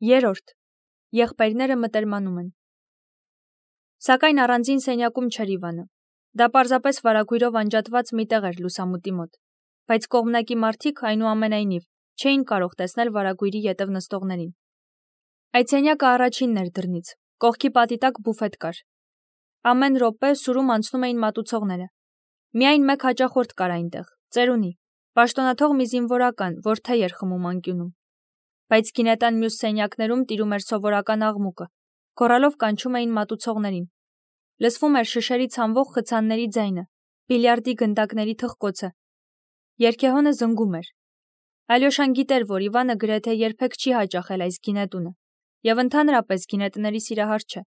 Երրորդ. Եղբայրները մտերմանում են։ Սակայն առանձին սենյակում չէր Իվանը։ Դա պարզապես վարագույրով անջատված մի տեղ էր լուսամուտի մոտ, բայց կողմնակի մարդիկ այնուամենայնիվ չէին կարող տեսնել վարագույրի ետև նստողներին։ Այդ սենյակը առաջինն էր դռնից, կողքի պատի տակ բուֆետ կար։ Ամեն րոպե սուրում անցնում էին մատուցողները։ Միայն մեկ հաճախորդ կար այնտեղ, ծերունի, պաշտոնաթող մի զինվորական, որ թեյ էր խմում անկյունում։ Բայց գինետան մյուս սենյակներում տիրում էր սովորական աղմուկը, գոռալով կանչում էին մատուցողներին։ Լսվում էր շշերի ցանվող խցանների ձայնը, բիլիարդի գնդակների թխկոցը։ Երգեհոնը զնգում էր։ Ալյոշան գիտեր, որ Իվանը գրեթե երբեք չի հաճախել այս գինետունը, եւ ընդհանրապես գինետների սիրահար չէ։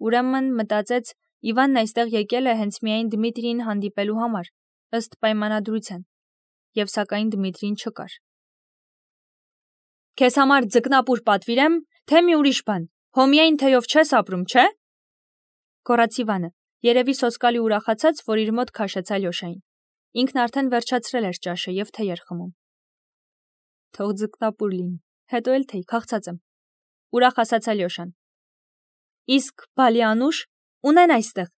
Ուրեմն մտածեց, Իվանն այստեղ եկել է հենց միայն Դմիտրիին հանդիպելու համար, ըստ պայմանադրության, եւ սակայն Դմիտրին չկար։ Քեզ համար ձկնապուր պատվիրեմ, թե մի ուրիշ բան, հո միայն թեյով չես ապրում, չէ՞։ Գոռաց Իվանը, երևի սոսկալի ուրախացած, որ իր մոտ քաշեց Ալյոշային։ Ինքն արդեն վերջացրել էր ճաշը եւ թեյ էր խմում։ Թող ձկնապուր լինի, հետո էլ թեյ, քաղցած եմ, ուրախ ասաց Ալյոշան։ Իսկ Բալիանուշ ունեն այստեղ։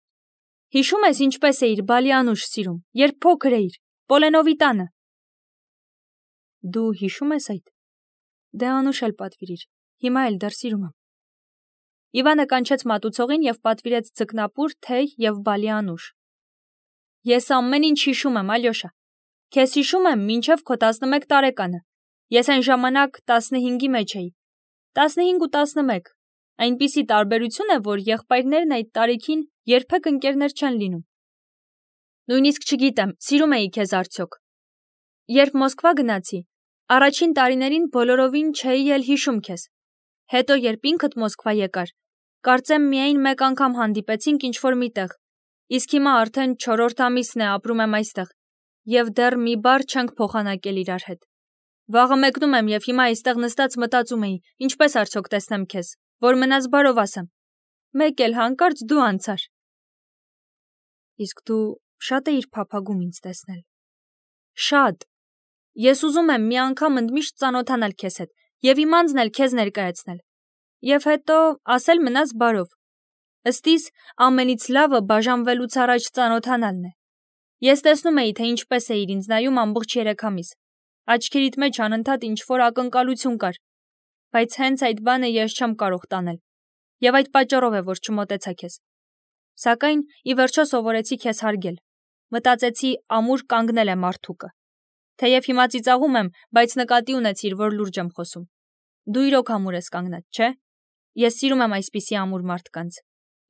Հիշում ես ինչպես էիր Բալիանուշ սիրում, երբ փոքր էիր, Պոլենովի տանը։ Դու հիշում ես այդ։ Դե անուշ էլ պատվիրիր, հիմա էլ դեռ սիրում եմ։ Իվանը կանչեց մատուցողին եւ պատվիրեց ձկնապուր, թեյ եւ բալիանուշ։ Ես ամեն ինչ հիշում եմ, Ալյոշա։ Քեզ հիշում եմ մինչև քո 11 տարեկանը։ Ես այն ժամանակ 15-ի մեջ էի։ 15 ու 11։ Այնպիսի տարբերություն է, որ եղբայրներն այդ տարիքին երբեք ընկերներ չեն լինում։ Նույնիսկ չգիտեմ, սիրում էի քեզ արդյոք։ Երբ Մոսկվա գնացի, առաջին տարիներին բոլորովին չէի էլ հիշում քեզ։ Հետո երբ ինքդ Մոսկվա եկար, կարծեմ միայն մեկ անգամ հանդիպեցինք ինչ-որ միտեղ, իսկ հիմա արդեն 4-րդ ամիսն է ապրում եմ այստեղ, եւ դեռ մի բառ չենք փոխանակել իրար հետ։ Վաղը մեկնում եմ եւ հիմա այստեղ նստած մտածում էի, ինչպես արդյոք տեսնեմ քեզ, որ մնաս բարով ասեմ։ Մեկ էլ հանկարծ դու անցար։ Իսկ դու շատ էիր փափագում ինձ տեսնել։ Շատ։ Ես ուզում եմ մի անգամ ընդմիշտ ծանոթանալ քեզ հետ եւ իմ անձն էլ քեզ ներկայացնել։ Եվ հետո ասել մնաս բարով։ Ըստիս ամենից լավը բաժանվելուց առաջ ծանոթանալն է։ Ես տեսնում էի, թե ինչպես էիր ինձ նայում ամբողջ 3 ամիս։ Աչքերիդ մեջ անընդհատ ինչ-որ ակնկալություն կար, բայց հենց այդ բանը ես չեմ կարող տանել։ Եվ այդ պատճառով է, որ չմոտեցա քեզ։ Սակայն ի վերջո սովորեցի քեզ հարգել։ Մտածեցի, ամուր կանգնել է մարդուկը։ Թեև հիմա ծիծաղում եմ, բայց նկատի ունեցիր, որ լուրջ եմ խոսում։ Դու իրոք ամուր ես կանգնած, չէ՞։ Ես սիրում եմ այսպիսի ամուր մարդկանց։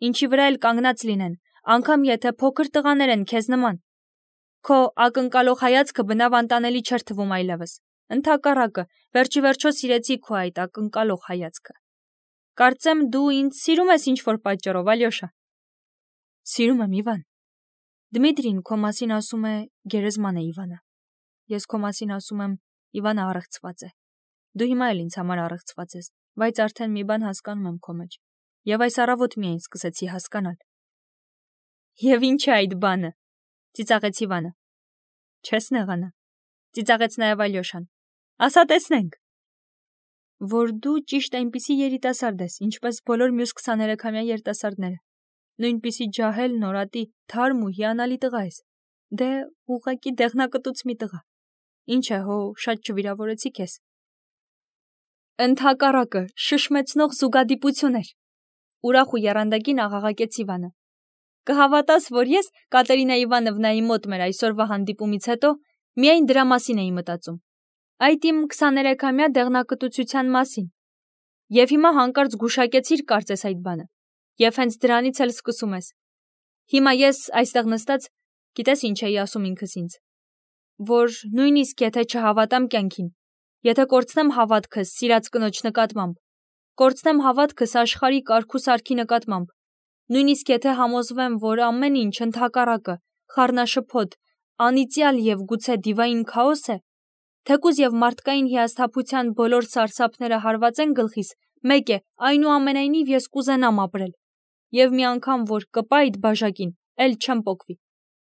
Ինչի վրա էլ կանգնած լինեն, անգամ եթե փոքր տղաներ են քեզ նման։ Քո ակնկալող հայացքը բնավ անտանելի չէր թվում այլևս։ Ընդհակառակը, վերջի վերջո սիրեցի քո այդ ակնկալող հայացքը։ Կարծեմ դու ինձ սիրում ես ինչ-որ պատճառով, Ալյոշա։ Սիրում եմ, Իվան։ Դմիտրին քո մասին ասում է գերեզման է Իվանը։ Ես քո մասին ասում եմ Իվանը առեղծված է։ Դու հիմա էլ ինձ համար առեղծված ես, բայց արդեն մի բան հասկանում եմ քո մեջ։ Եվ այս առավոտ միայն սկսեցի հասկանալ։ Եվ ինչ է այդ բանը։ Ծիծաղեց Իվանը։ Չես նեղանա։ Ծիծաղեց նաև Ալյոշան։ Ասա տեսնենք։ Որ դու ճիշտ այնպիսի երիտասարդ ես, ինչպես բոլոր մյուս 23-ամյա երիտասարդները։ Նույնպիսի ջահել, նորատի, թարմ ու հիանալի տղա ես։ Դե ուղղակի դեղնակտուց մի տղա։ Ինչ է, հո շատ չվիրավորեցի քեզ։ Ընդհակառակը, շշմեցնող զուգադիպություն էր։ Ուրախ ու եռանդակին աղաղակեց Իվանը։ Կհավատաս, որ ես Կատերինա Իվանովնայի մոտ մեր այսօրվա հանդիպումից հետո միայն դրա մասին էի մտածում։ Այդ իմ 23-ամյա դեղնակտուցության մասին։ Եվ հիմա հանկարծ գուշակեցիր կարծես այդ բանը։ Եվ հենց դրանից էլ սկսում ես։ Հիմա ես այստեղ նստած, գիտես ինչ էի ասում ինքս ինձ, որ նույնիսկ եթե չհավատամ կյանքին, եթե կորցնեմ հավատքս սիրած կնոջ նկատմամբ, կորցնեմ հավատքս աշխարհի կարգ ու սարքի նկատմամբ, նույնիսկ եթե համոզվեմ, որ ամեն ինչ ընդհակառակը, խառնաշփոթ, անիծյալ եւ գուցե դիվային քաոս է, թեկուզ եւ մարդկային հիասթափության բոլոր սարսափները հարվածեն գլխիս, մեկ է, այնուամենայնիվ ես կուզենամ ապրել։ Եվ մի անգամ որ կպա այդ բաժակին, էլ չեմ պոկվի,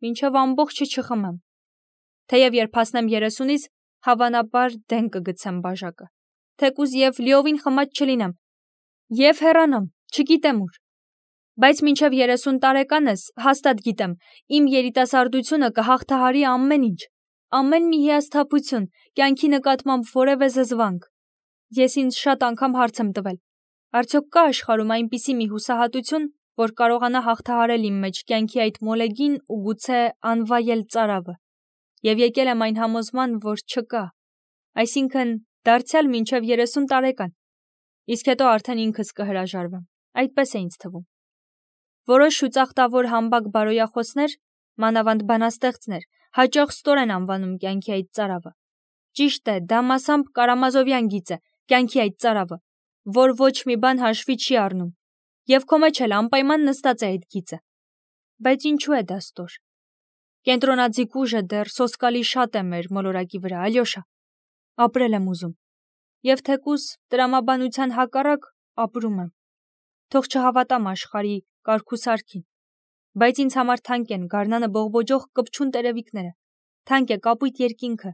մինչև ամբողջը չխմեմ։ Թեև երբ հասնեմ 30-ից, հավանաբար դեն կգցեմ բաժակը, թեկուզ եւ լիովին խմած չլինեմ, եւ հեռանամ, չգիտեմ ուր։ Բայց մինչև 30 տարեկանս հաստատ գիտեմ, իմ երիտասարդությունը կհաղթահարի ամեն ինչ, ամեն մի հիասթափություն, կյանքի նկատմամբ որևէ զզվանք։ Ես ինձ շատ անգամ հարց եմ տվել. արդյոք կա աշխարհում այնպիսի մի հուսահատություն, որ կարողանա հաղթահարել իմ մեջ կյանքի այդ մոլեգին ու գուցե անվայել ծարավը։ Եվ եկել եմ այն համոզման, որ չկա։ Այսինքն, դարձյալ մինչև 30 տարեկան։ Իսկ հետո արդեն ինքս կհրաժարվեմ։ Այդպես է ինձ թվում։ Որոշ շուծախտավոր համբակ բարոյախոսներ, մանավանդ բանաստեղծներ, հաճախ ստոր են անվանում կյանքի այդ ծարավը։ Ճիշտ է, դա մասամբ Կարամազովյան գիծ է, կյանքի այդ ծարավը, որ ոչ մի բան հաշվի չի առնում։ Եվ քո մեջ էլ անպայման նստած է այդ գիծը։ Բայց ինչու է դա ստոր։ Կենտրոնաձիգ ուժը դեռ սոսկալի շատ է մեր մոլորակի վրա, Ալյոշա։ Ապրել եմ ուզում։ Եվ թեկուզ տրամաբանության հակառակ ապրում եմ։ Թող չհավատամ աշխարհի կարգուսարքին, բայց ինձ համար թանկ են գարնանը բողբոջող կպչուն տերևիկները, թանկ է կապույտ երկինքը,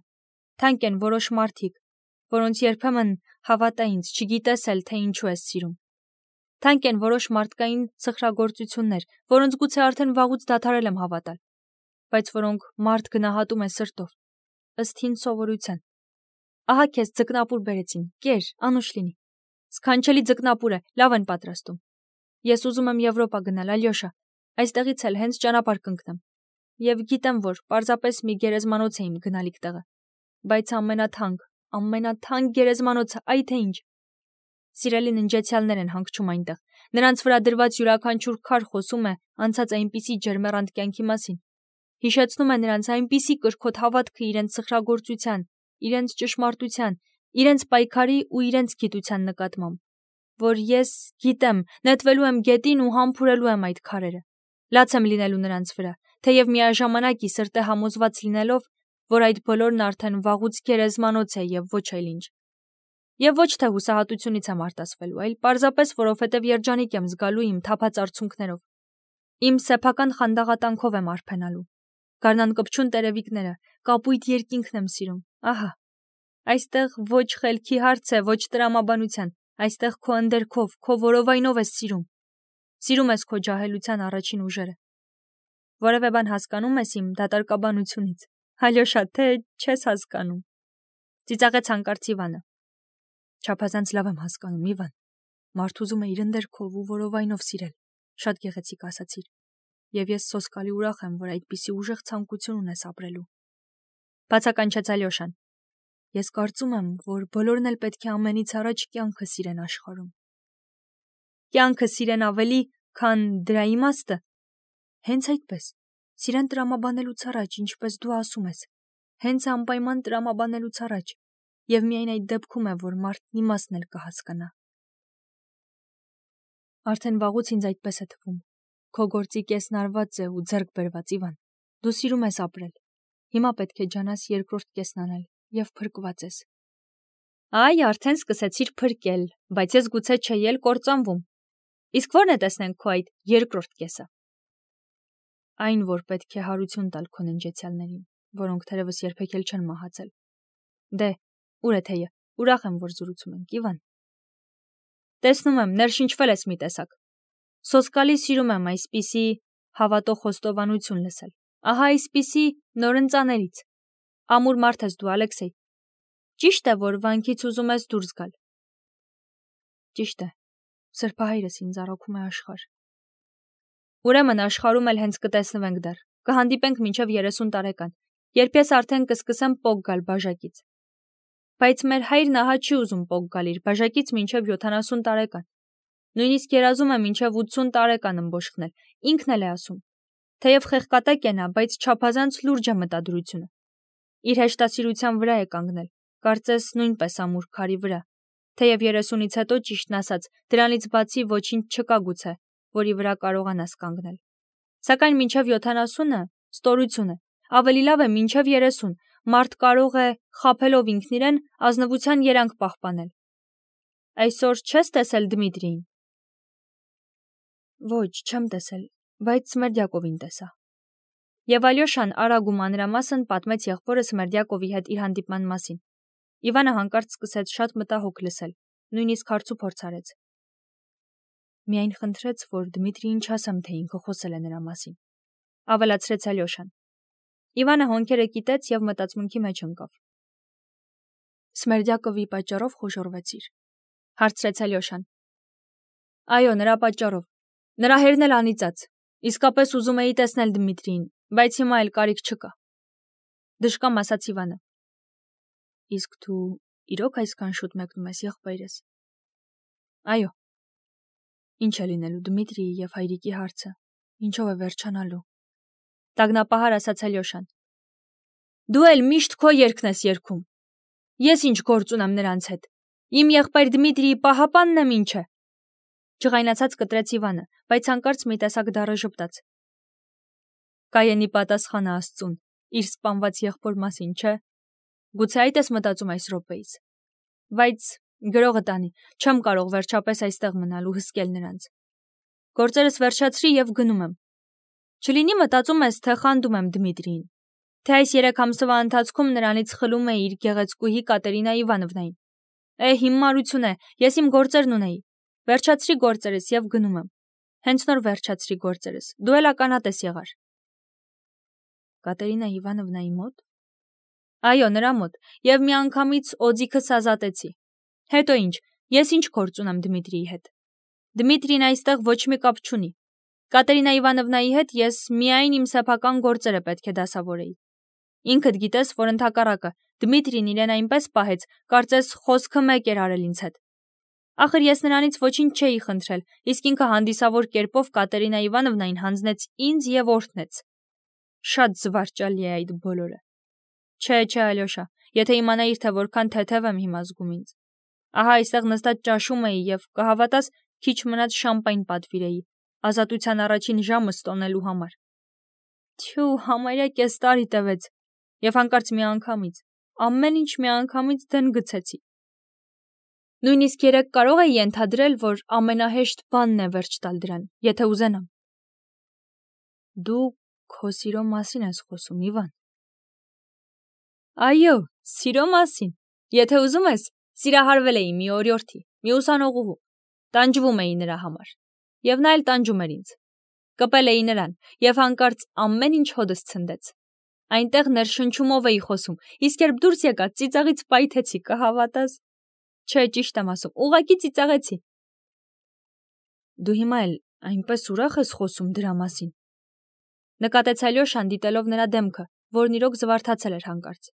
թանկ են որոշ մարդիկ, որոնց երբեմն հավատա ինձ, չգիտես էլ թե ինչու ես սիրում։ Թանկ են որոշ մարդկային սխրագործություններ, որոնց գուցե արդեն վաղուց դադարել եմ հավատալ, բայց որոնք մարդ գնահատում է սրտով, ըստ հին սովորության։ Ահա քեզ ձկնապուր բերեցին, կեր, անուշ լինի։ Սքանչելի ձկնապուր է, լավ են պատրաստում։ Ես ուզում եմ Եվրոպա գնալ, Ալյոշա, այստեղից էլ հենց ճանապարհ կընկնեմ։ Եվ գիտեմ, որ պարզապես մի գերեզմանոց է իմ գնալիք տեղը, բայց ամենաթանկ գերեզմանոցը, այ թե ինչ։ Սիրելի ննջեցյալներ են հանգչում այնտեղ, նրանց վրա դրված յուրաքանչյուր քար խոսում է անցած այնպիսի ջերմեռանդ կյանքի մասին, հիշեցնում է նրանց այնպիսի կրքոտ հավատքը իրենց սխրագործության, իրենց ճշմարտության, իրենց պայքարի ու իրենց գիտության նկատմամբ, որ ես գիտեմ, նետվելու եմ գետին ու համբուրելու եմ այդ քարերը, լաց եմ լինելու նրանց վրա, թեև միաժամանակ ի սրտե համոզված լինելով, որ այդ բոլորն արդեն վաղուց գերեզմանոց է եւ ոչ այլ ինչ։ Եվ ոչ թե հուսահատությունից եմ արտասվելու, այլ պարզապես որովհետև երջանիկ եմ զգալու իմ թափած արցունքներով։ Իմ սեփական խանդաղատանքով եմ արփենալու։ Գարնան կպչուն տերևիկները, կապույտ երկինքն եմ սիրում։ Ահա։ Այստեղ ոչ խելքի հարց է, ոչ տրամաբանության, այստեղ քո ընդերքով, քո որովայնով ես սիրում։ Սիրում ես քո ջահելության առաջին ուժերը։ Որևէ բան հասկանում ես իմ դատարկաբանությունից։ Ալյոշա, թե չես հասկանում։ Ծիծաղեց հանկարծ Իվանը։ Չափազանց լավ եմ հասկանում, Իվան։ Մարդ ուզում է իր ընդերքով ու որովայնով սիրել։ Շատ գեղեցիկ ասացիր։ Եվ ես սոսկալի ուրախ եմ, որ այդպիսի ուժեղ ցանկություն ունես ապրելու։ Բացականչեց Ալյոշան։ Ես կարծում եմ, որ բոլորն էլ պետք է ամենից առաջ կյանքը սիրեն աշխարհում։ Կյանքը սիրեն ավելի, քան դրա իմաստը։ Հենց այդպես։ Սիրեն տրամաբանելուց առաջ, ինչպես դու ասում ես, հենց անպայման տրամաբանելուց առաջ, եւ միայն այդ դեպքում է, որ մարդն իմաստն էլ կհասկանա։ Արդեն վաղուց ինձ այդպես է թվում։ Քո գործի կեսն արված է ու ձեռք բերված, Իվան։ Դու սիրում ես ապրել։ Հիմա պետք է ջանաս երկրորդ կեսն անել եւ փրկված ես։ Այ, արդեն սկսեցիր փրկել, բայց ես գուցե չէի էլ կործանվում։ Իսկ ո՞րն է տեսնենք քո այդ երկրորդ կեսը։ Այն, որ պետք է հարություն տալ քո ննջեցյալներին, որոնք թերևս երբեք էլ չեն մահացել։ Դե, ուր է թեյը։ Ուրախ եմ, որ զրուցում ենք, Իվան։ Տեսնում եմ, ներշնչվել ես մի տեսակ։ Սոսկալի սիրում եմ այսպիսի հավատող խոստովանություն լսել։ Ահա այսպիսի նորընծաներից։ Ամուր մարդ ես դու, Ալեքսեյ։ Ճիշտ է, որ վանքից ուզում ես դուրս գալ։ Ճիշտ է։ Սրբահայրս ինձ առաքում է աշխարհ։ Ուրեմն աշխարհում էլ հենց կտեսնվենք դեռ։ Կհանդիպենք մինչև 30 տարեկան, երբ ես արդեն կսկսեմ պոկ գալ բաժակից։ Բայց մեր հայրն ահա չի ուզում պոկ գալ իր բաժակից մինչև 70 տարեկան։ Նույնիսկ երազում է մինչև 80 տարեկան ըմբոշխնել, ինքն էլ է ասում։ Թեև խեղկատակ է նա, բայց չափազանց լուրջ է մտադրությունը։ Իր հեշտասիրության վրա է կանգնել, կարծես նույնպես ամուր քարի վրա։ Թեև 30-ից հետո ճիշտն ասած, դրանից բացի ոչինչ չկա գուցե, որի վրա կարողանաս կանգնել։ Սակայն մինչև 70-ը ստորություն է, ավելի լավ է մինչև 30, մարդ կարող է, խաբելով ինքն իրեն, ազնվության երանգ պահպանել։ Այսօր չես տեսել Դմիտրիին։ Ոչ, չեմ տեսել, բայց Սմերդյակովին տեսա։ Եվ Ալյոշան արագ ու մանրամասն պատմեց եղբորը Սմերդյակովի հետ իր հանդիպման մասին։ Իվանը հանկարծ սկսեց շատ մտահոգ լսել, նույնիսկ հարցուփորձ արեց։ Միայն խնդրեց, որ Դմիտրիին չասեմ, թե ինքը խոսել է նրա մասին, ավելացրեց Ալյոշան։ Իվանը հոնքերը կիտեց եւ մտածմունքի մեջ ընկավ։ Սմերդյակովի պատճառով խոժոռվեցիր, հարցրեց Ալյոշան։ Այո, նրա պատճառով։ Նրա հերն էլ անիծած։ Իսկապես ուզում էի տեսնել Դմիտրիին, բայց հիմա էլ կարիք չկա։ Դժկամ ասաց Իվանը։ Իսկ դու իրոք այսքան շուտ մեկնում ես եղբայրս։ Այո։ Ինչ է լինելու Դմիտրիի եւ հայրիկի հարցը, ինչով է վերջանալու։ Տագնապահար ասաց Ալյոշան։ Դու էլ միշտ քո երգն ես երգում։ Ես ինչ գործ ունեմ նրանց հետ։ Իմ եղբայր Դմիտրիի պահապանն եմ ինչը։ Ջղայնացած կտրեց Իվանը, բայց հանկարծ մի տեսակ դառը ժպտաց։ Կայենի պատասխանը Աստծուն, իր սպանված եղբոր մասին, չէ։ Գուցե այդ ես մտածում այս րոպեից։ Բայց գրողը տանի, չեմ կարող վերջապես այստեղ մնալ ու հսկել նրանց։ Գործերս վերջացրի եւ գնում եմ։ Չլինի մտածում ես, թե խանդում եմ Դմիտրիին, թե այս 3 ամսվա ընթացքում նրանից խլում էի իր գեղեցկուհի Կատերինա Իվանովնային։ Հիմարություն է, ես իմ գործերն ունեի։ Վերջացրի գործերս եւ գնում եմ։ Հենց նոր վերջացրի գործերս։ Դու էլ ականատես եղար։ Կատերինա Իվանովնայի մոտ։ Այո, նրա մոտ, եւ միանգամից օձիքս ազատեցի։ Հետո ինչ, ես ինչ գործ ունեմ Դմիտրիի հետ։ Դմիտրին այստեղ ոչ մի կապ չունի։ Կատերինա Իվանովնայի հետ ես միայն իմ սեփական գործերը պետք է դասավորեի։ Ինքդ գիտես, որ ընդհակառակը Դմիտրին իրեն այնպես պահեց, կարծես խոսքը մեկ էր արել ինձ հետ։ Ախր ես նրանից ոչինչ չէի խնդրել, իսկ ինքը հանդիսավոր կերպով Կատերինա Իվանովնային հանձնեց ինձ եւ օրհնեց։ Շատ զվարճալի է այդ բոլորը։ Չէ, Ալյոշա, եթե իմանայիր, թե որքան թեթև եմ հիմա զգում ինձ։ Ահա այստեղ նստած ճաշում էի եւ կհավատաս, քիչ մնաց շամպայն պատվիրեի, ազատության առաջին ժամը ստոնելու համար։ Թյու, համարյա կես տարի տևեց, եւ հանկարծ միանգամից, ամեն ինչ միանգամից դեն գցեցի։ Նույնիսկ երեք կարող էի ենթադրել, որ ամենահեշտ բանն է վերջ տալ դրան, եթե ուզենամ։ Դու քո սիրո մասին ես խոսում, Իվան։ Այո, սիրո մասին։ Եթե ուզում ես, սիրահարվել էի մի օրիորդի, մի ուսանողուհու, տանջվում էի նրա համար, եւ նա էլ տանջում էր ինձ։ Կպել էի նրան, եւ հանկարծ ամեն ինչ հոդս ցնդեց։ Այնտեղ ներշնչումով էի խոսում, իսկ երբ դուրս եկա, ծիծաղից պայթեցի, կհավատաս։ Չէ, ճիշտ եմ ասում, ուղղակի ծիծաղեցի։ Դու հիմա էլ այնպես ուրախ ես խոսում դրա մասին։ Նկատեց Ալյոշան, դիտելով նրա դեմքը, որն իրոք զվարթացել էր հանկարծ։